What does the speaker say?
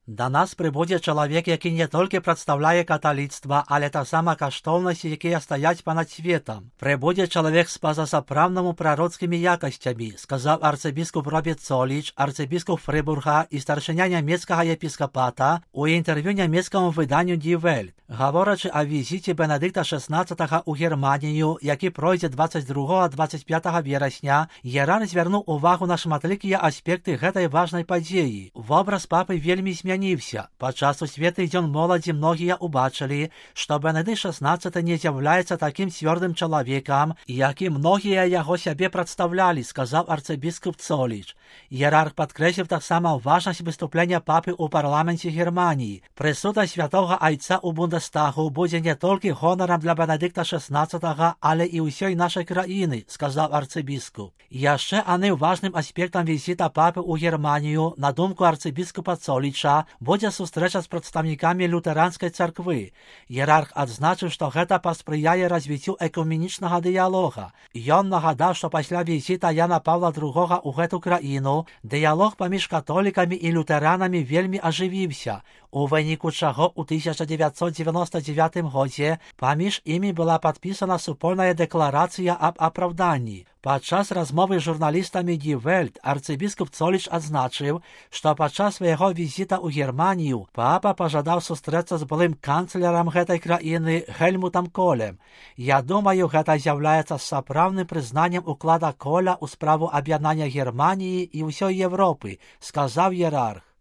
Да нас прибудзе чалавек, які не толькі прадстаўляе каталіцтва, але таксама каштоўнасці, якія стаяць панад светам. Прибудзе чалавек з пазасапраўднаму прароцкімі якасцямі, сказаў арцыбіскуп Роберт Цоліч, арцыбіскуп Фрыбурга і старшыня нямецкага епіскапата у інтэрв'ю нямецкаму выданню Die Welt. Гаворачы о візіце Бенедыкта XVI у Германію, які пройдзе 22-25 верасня, іерарх звярнуў увагу на шматлікія аспекты гэтай важнай падзеі. Вобраз папы вельмі змяніўся. Падчас сусветных дзён моладзі многія ўбачылі, што Бенедыкт XVI не з'яўляецца такім цвёрдым чалавекам, які многія яго сябе прадстаўлялі, сказаў арцыбіскуп Цоліч. Іерарх падкрэсліў таксама важнасць выступлення папы ў парламенце Германіі. Прысутнасць святога айца ў Бундестагу будзе не толькі гонарам для Бенедыкта XVI, але і ўсёй нашай краіны, сказаў арцыбіскуп. Яшчэ адным важным аспектам візіта папы ў Германію, на думку арцыбіскупа Цоліча, будзе сустрэча з прадстаўнікамі лютэранскай царквы. Іерарх адзначыў, што гэта паспрыяе развіццю экуменічнага дыялога. Ён нагадаў, што пасля візіта Яна Паўла II ў гэту краіну дыялог паміж католікамі і лютэранамі вельмі ажывіўся, у выніку чаго ў 1999 годзе паміж імі была падпісана супольная дэкларацыя аб апраўданні. Падчас размовы з журналістамі Die Welt арцыбіскуп Цоліч адзначыў, што падчас свайго візіта ў Германію папа пажадаў сустрэцца з былым канцлерам гэтай краіны Гельмутам Колем. Я думаю, гэта з'яўляецца сапраўдным прызнаннем уклада Коля ў справу аб'яднання Германіі і ўсёй Европы, сказаў іерарх.